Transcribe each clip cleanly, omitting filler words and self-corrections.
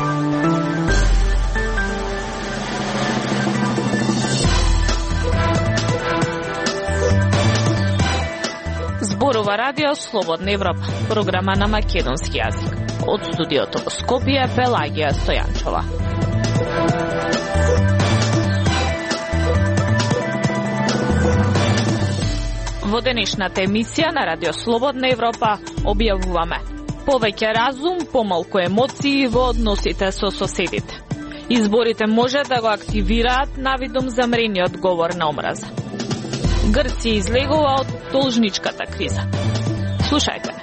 Зборува Радио Слободна Европа, програма на македонски јазик. Од студиото во Скопје, Пелагија Стојанчова. Во денешната емисија на Радио Слободна Европа објавуваме повеќе разум, помалку емоции во односите со соседите. Изборите може да го активираат навидом замрениот говор на омраза. Грција излегува од должничката криза. Слушајте.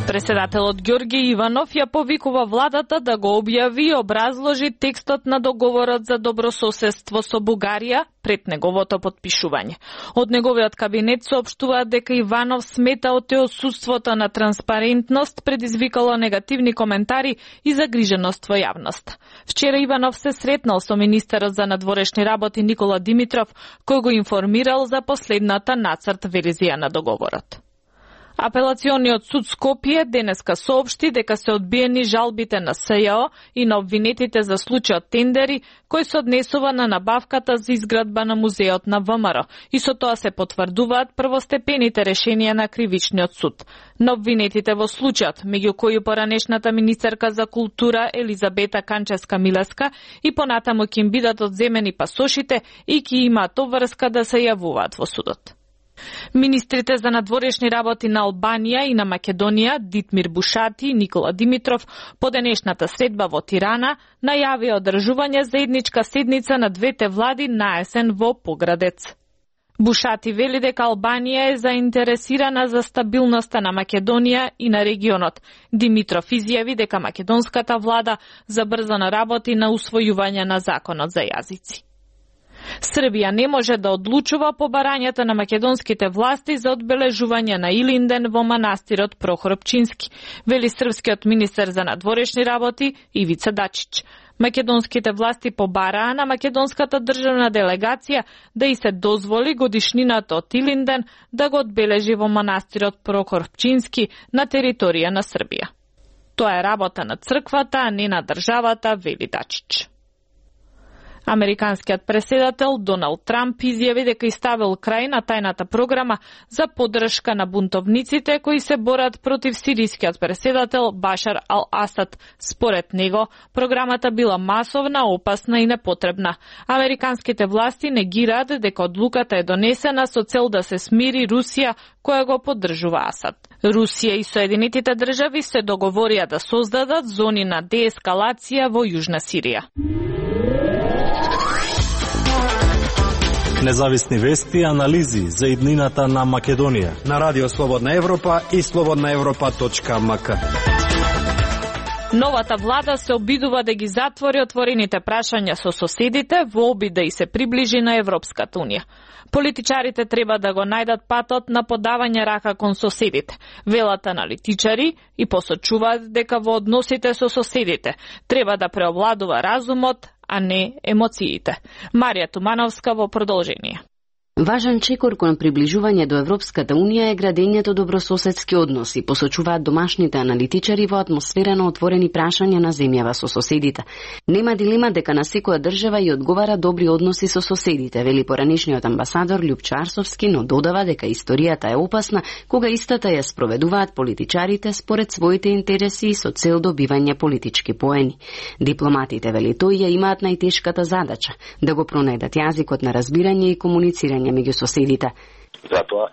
Преседателот Ѓорѓе Иванов ја повикува владата да го објави и образложи текстот на договорот за добрососедство со Бугарија пред неговото потпишување. Од неговиот кабинет соопштуваат дека Иванов смета од отсуството на транспарентност предизвикало негативни коментари и загриженост во јавноста. Вчера Иванов се сретнал со министерот за надворешни работи Никола Димитров, кој го информирал за последната нацрт верзија на договорот. Апелациониот суд Скопје денеска соопшти дека се одбиени жалбите на СЈО и на обвинетите за случајот тендери кој се однесува на набавката за изградба на музеот на ВМРО и со тоа се потврдуваат првостепените решенија на кривичниот суд. На обвинетите во случајот, меѓу кои поранешната министерка за култура Елизабета Канчевска-Милеска и понатаму ќе им бидат одземени пасошите и ќе имаат обврска да се јавуваат во судот. Министрите за надворешни работи на Албанија и на Македонија, Дитмир Бушати и Никола Димитров, по денешната средба во Тирана, најавија одржување заедничка седница на двете влади на есен во Поградец. Бушати вели дека Албанија е заинтересирана за стабилноста на Македонија и на регионот. Димитров изјави дека македонската влада забрзано работи на усвојување на законот за јазици. Србија не може да одлучува по барањата на македонските власти за одбележување на Илинден во манастирот Прохор Пчински, вели српскиот министер за надворешни работи Ивица Дачич. Македонските власти побараа на македонската државна делегација да и се дозволи годишнината од Илинден да го одбележи во манастирот Прохор Пчински на територија на Србија. Тоа е работа на црквата, а не на државата, вели Дачич. Американскиот преседател Доналд Трамп изјави дека иставил крај на тајната програма за поддршка на бунтовниците кои се борат против сирискиот преседател Башар ал-Асад. Според него, програмата била масовна, опасна и непотребна. Американските власти негираат дека одлуката е донесена со цел да се смири Русија, која го поддржува Асад. Русија и Соединетите држави се договорија да создадат зони на деескалација во Јужна Сирија. Независни вести и анализи за иднината на Македонија на Радио Слободна Европа и slobodnaevropa.mk. Новата влада се обидува да ги затвори отворените прашања со соседите во обид да и се приближи на Европската унија. Политичарите треба да го најдат патот на подавање рака кон соседите, велат аналитичари и посочуваат дека во односите со соседите треба да преовладува разумот, а не емоциите. Марија Тумановска во продолжение. Важен чекор кон приближување до Европската унија е градењето добрососедски односи, посочуваат домашните аналитичари во атмосфера на отворени прашања на земјава со соседите. Нема дилема дека на секоја држава и одговара добри односи со соседите, вели поранешниот амбасадор Љупчо Арсовски, но додава дека историјата е опасна кога истата ја спроведуваат политичарите според своите интереси и со цел добивање политички поени. Дипломатите, вели тој, ја имаат најтешката задача да го пронајдат јазикот на разбирање и комуницирање меѓу соседите. Затоа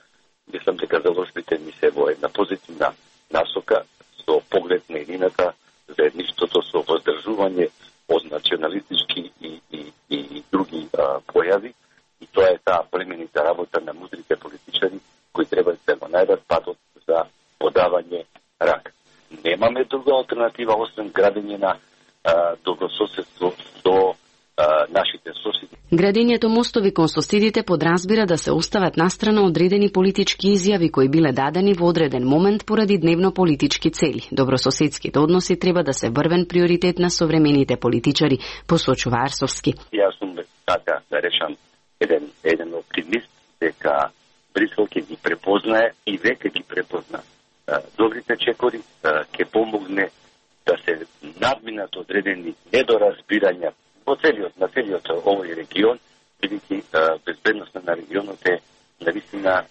мислам дека завршите ми се во една позитивна насока со поглед на едината, заедништвото, со воздржување од националистички и други појави, и тоа е таа племенита работа на мудрите политичари кои треба да го најдат патот за подавање рак. Немаме друга алтернатива освен градење на добрососедство до нашите соседи. Градењето мостови кон соседите подразбира да се остават настрана одредени политички изјави кои биле дадени во одреден момент поради дневно политички цели. Добрососедските односи треба да се врвен приоритет на современите политичари, посочува Арсовски. Јас сум така да речам еден оптимист дека Брисел ќе ги препознае и веќе ги препозна добрите чекори, ќе помогне да надминат одредени недоразбирања на целиот овој регион, бидејќи безбедноста на регионот е навистина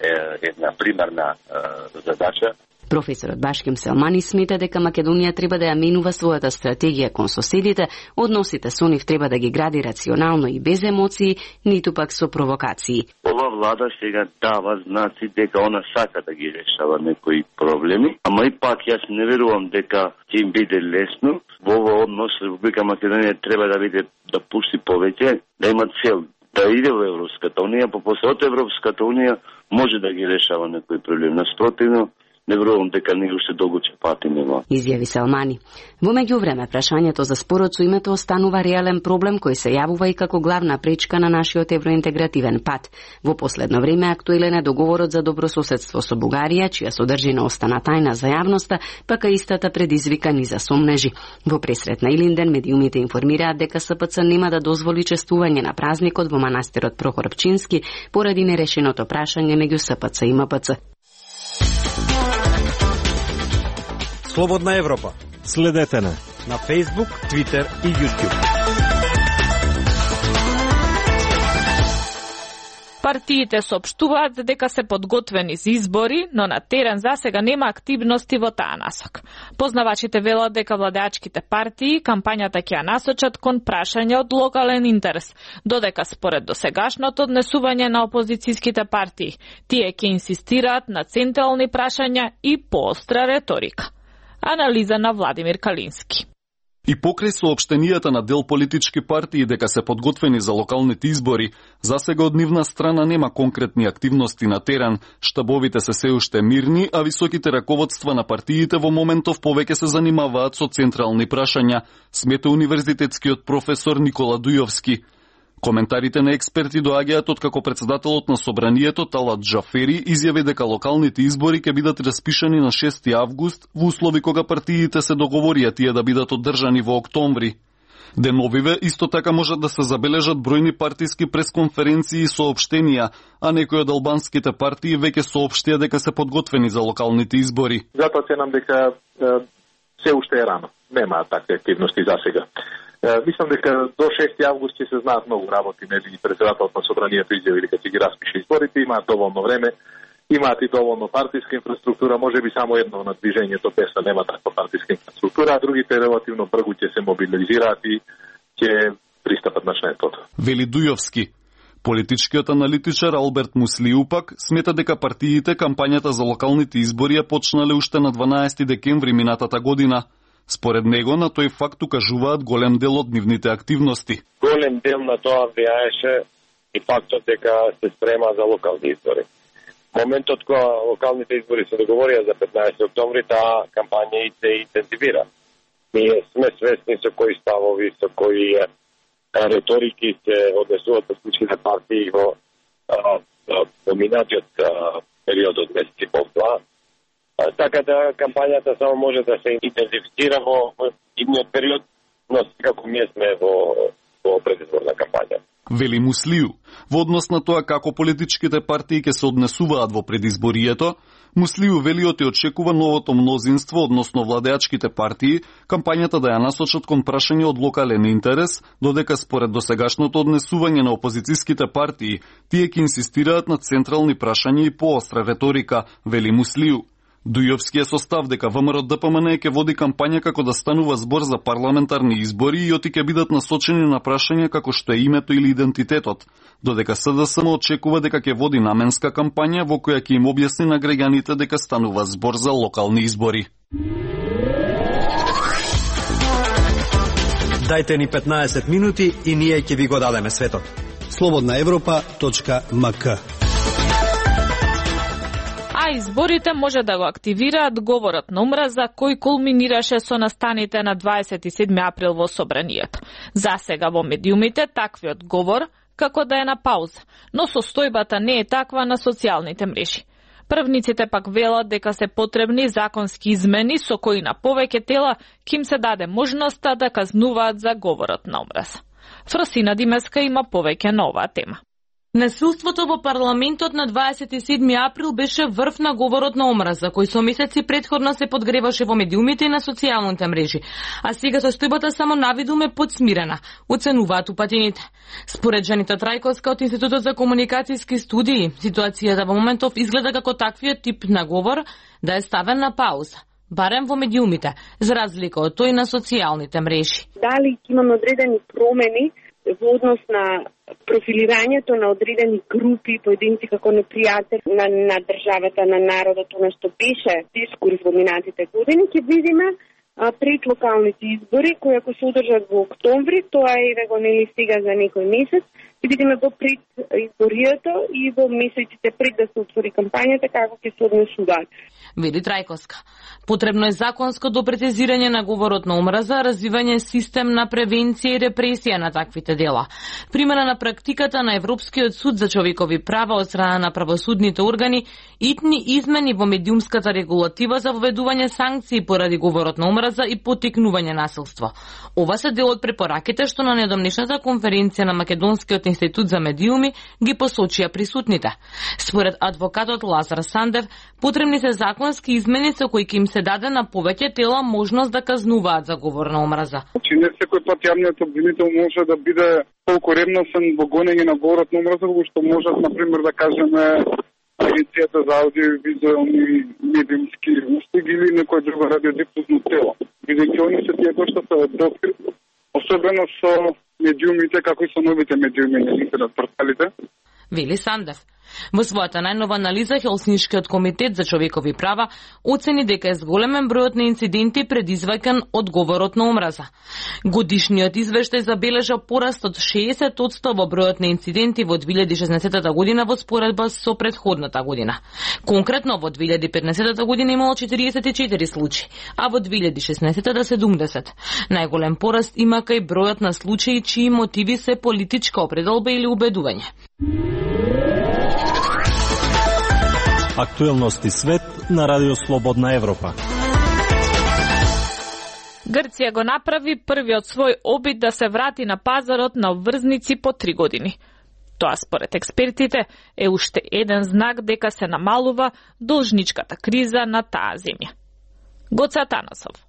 една примарна задача. Професорот Башким Селмани смета дека Македонија треба да ја менува својата стратегија кон соседите, односите со нив треба да ги гради рационално и без емоции, ниту пак со провокации. Ова влада сега дава знаци дека она сака да ги решава некои проблеми, ама и пак јас не верувам дека ќе им биде лесно. Во овој однос Република Македонија треба да пушти повеќе, да има цел да иде во Европската унија, па после од Европската унија може да ги решава некои проблеми. Наспротивно, не верувам дека него уште долго ќе пати нема. Изјави Селмани. Во меѓувреме, прашањето за спорот со името останува реален проблем кој се јавува и како главна пречка на нашиот евроинтегративен пат. Во последно време актуелен е договорот за добрососедство со Бугарија, чија содржина остана тајна за јавноста, пака истата предизвика низа сомнежи. Во пресрет на Илинден медиумите информираат дека СПЦ нема да дозволи чествување на празникот во манастирот Прохор Пчински поради нерешеното прашање меѓу СПЦ и МПЦ. Слободна Европа. Следете на Facebook, Twitter и YouTube. Партиите соопштуваат дека се подготвени за избори, но на терен засега нема активности во таа насок. Познавачите велат дека владеачките партии кампањата ќе ја насочат кон прашања од локален интерес, додека според досегашното однесување на опозицијските партии, тие ќе инсистираат на централни прашања и поостра реторика. Анализа на Владимир Калински. И покрај соопштенијата на дел политички партии дека се подготвени за локалните избори, засега од нивна страна нема конкретни активности на терен, штабовите се уште мирни, а високите раководства на партиите во моментов повеќе се занимаваат со централни прашања, смета универзитетскиот професор Никола Дујовски. Коментарите на експерти доаѓаат од како председателот на собранието Талат Джафери изјави дека локалните избори ќе бидат распишани на 6 август во услови кога партиите се договорија тие да бидат одржани во октомври. Деновиве исто така можат да се забележат бројни партиски пресконференции и соопштенија, а некои од албанските партии веќе соопштија дека се подготвени за локалните избори. Затоа ценам дека се уште е рано. Нема такви активности засега. Мислам дека до 6 август ќе се знаат многу работи, нели председателот на собранието изјави дека ќе ги распише изборите, имаат доволно време, имаат и доволно партиска инфраструктура, можеби само едно на движењето ПЕСА нема таква партиска инфраструктура, а другите релативно брзо ќе се мобилизираат и ќе пристапат на членството. Вели Дујовски. Политичкиот аналитичар Алберт Муслиу пак смета дека партиите кампањата за локалните избори ја почнале уште на 12 декември минатата година. Според него, на тој факт укажуваат голем дел од нивните активности. Голем дел на тоа влијаеше и фактот дека се спрема за локални избори. Моментот кога локалните избори се договорија за 15 октомври, таа кампања и се интензивира. Ние сме свесни со кои ставови, со кои реторики се однесуваат политичките партии во минатиот период од месеци полтоа. Така да кампањата само може да се интензифицира во идниот период, но секако ние сме во предизборна кампања. Вели Муслиу, во однос на тоа како политичките партии ќе се однесуваат во предизборието, Муслиу вели оти очекува новото мнозинство, односно владеачките партии, кампањата да ја насочат кон прашање од локален интерес, додека според досегашното однесување на опозицијските партии, тие ќе инсистираат на централни прашања и поостра реторика, вели Муслиу. Дујовски е состав дека ВМРО ДПМН ќе води кампања како да станува збор за парламентарни избори и оти ќе бидат насочени на прашања како што е името или идентитетот, додека СДСМ очекува дека ќе води наменска кампања во која ќе им објасни на граѓаните дека станува збор за локални избори. Дајте ни 15 минути и ние ќе ви го дадеме светот. slobodnaevropa.mk. А изборите може да го активираат говорот на омраза кој кулминираше со настаните на 27 април во собранието. Засега во медиумите таквиот говор како да е на пауза, но состојбата не е таква на социјалните мрежи. Првниците пак велат дека се потребни законски измени со кои на повеќе тела ќе им се даде можноста да казнуваат за говорот на омраза. Фросина Димеска има повеќе на оваа тема. Насилството во парламентот на 27 април беше врв на говорот на омраза, кој со месеци претходно се подгреваше во медиумите и на социјалните мрежи, а сега состојбата само навидум е подсмирена, оценуваат упатените. Според Жанита Трајковска од Институтот за комуникацијски студии, ситуацијата во моментов изгледа како таквиот тип на говор да е ставен на пауза, барем во медиумите, за разлика од тој на социјалните мрежи. Дали имаме одредени промени во однос на профилирањето на одредени групи, поединци како непријатели на државата, на народот, она што беше дискурс во минатите години, ќе видиме пред локалните избори, кои ако се одржат во октомври, тоа е го нели сега за некој месец, ќе видиме во пред изборијата и во месеците пред да се отвори кампањата како ќе се однесуваат. Вели Трајковска. Потребно е законско допретезирање на говорот на омраза, развивање систем на превенција и репресија на таквите дела. Примена на практиката на Европскиот суд за човекови права од страна на правосудните органи, итни измени во медиумската регулатива за воведување санкции поради говорот на омраза и поттикнување насилство. Ова се дел од препораките што на недомнешната конференција на Македонскиот институт за медиуми ги посочија присутните. Според адвокатот Лазар Сандев, потребни се законски измени со кои ќе им се даде на повеќе тела можност да казнуваат за говор на омраза. Не секој пат јавниот обвинител може да биде толку ревносен во гонење на говорот на омраза, што можат, например, да кажеме Агенцијата за аудиовизуелни медиумски услуги или некој друго радиодифузно тело. Бидејќи они се тие кои што се открит, особено со медиумите, како и со новите медиуми на интернет порталите. Вели Сандев. Во својата најнова анализа, Хелсиншкиот комитет за човекови права оцени дека е зголемен бројот на инциденти предизвикан од говорот на омраза. Годишниот извештај забележа пораст од 60% во бројот на инциденти во 2016 година во споредба со претходната година. Конкретно во 2015 година имало 44 случаи, а во 2016 70. Најголем пораст има кај бројот на случаи чии мотиви се политичка определба или убедување. Актуелности свет на Радио Слободна Европа. Грција го направи првиот свој обид да се врати на пазарот на врзници по 3 години. Тоа според експертите е уште еден знак дека се намалува должничката криза на таа земја. Гоца Танасов.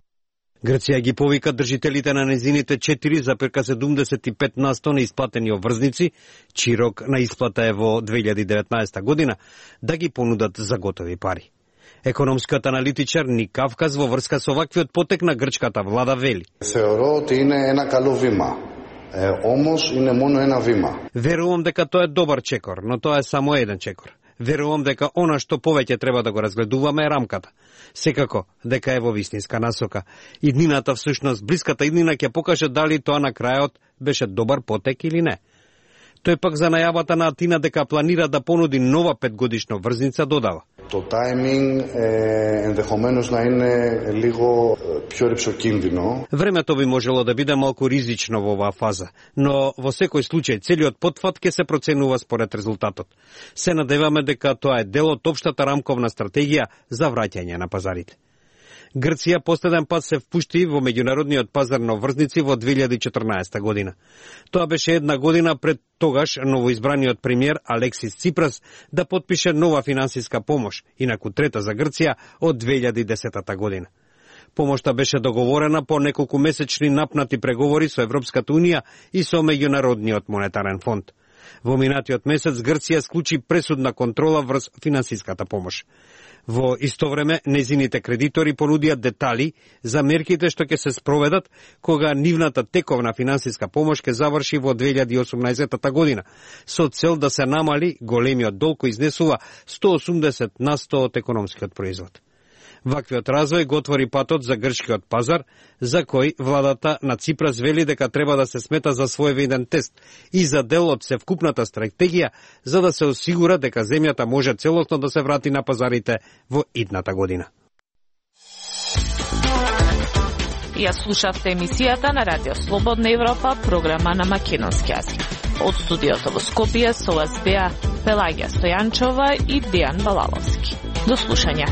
Грција ги повика држителите на незините 4,75% на исплатени обврзници, чиј рок на исплата е во 2019 година, да ги понудат за готови пари. Економскиот аналитичар Ник Кавказ во врска со ваквиот потек на грчката влада вели: Θεωρώ ότι είναι ένα καλό βήμα. Όμως είναι μόνο ένα βήμα. Верувам дека тоа е добар чекор, но тоа е само еден чекор. Верувам дека она што повеќе треба да го разгледуваме е рамката. Секако дека е во вистинска насока. Иднината, всушност блиската иднина, ќе покаже дали тоа на крајот беше добар потек или не. Тој пак за најавата на Атина дека планира да понуди нова 5-годишна врзница додава: Το timing ενδεχομένως να είναι λίγο πιο ριψοκίνδυνο. Времето би можело да биде малку ризично во оваа фаза, но во секој случај целиот потфат ќе се проценува според резултатот. Се надеваме дека тоа е дел од општата рамковна стратегија за враќање на пазарите. Грција последен пат се впушти во меѓународниот пазар на врзници во 2014 година. Тоа беше една година пред тогаш новоизбраниот премиер Алексис Ципрас да потпише нова финансиска помош, инаку трета за Грција од 2010 година. Помошта беше договорена по неколку месечни напнати преговори со Европската унија и со Меѓународниот монетарен фонд. Во минатиот месец Грција склучи пресудна контрола врз финансиската помош. Во исто време, незините кредитори понудија детали за мерките што ќе се спроведат кога нивната тековна финансиска помош ќе заврши во 2018 година, со цел да се намали големиот долг кој изнесува 180% од економскиот производ. Ваквиот развој го отвори патот за грчкиот пазар, за кој владата на Ципрас вели дека треба да се смета за своевиден тест и за дел од севкупната стратегија за да се осигура дека земјата може целосно да се врати на пазарите во идната година. Ја слушавте емисијата на Радио Слободна Европа, програма на македонски јазик. Од студиото во Скопје со вас беа Пелагија Стојанчова и Дејан Балаловски. До слушање.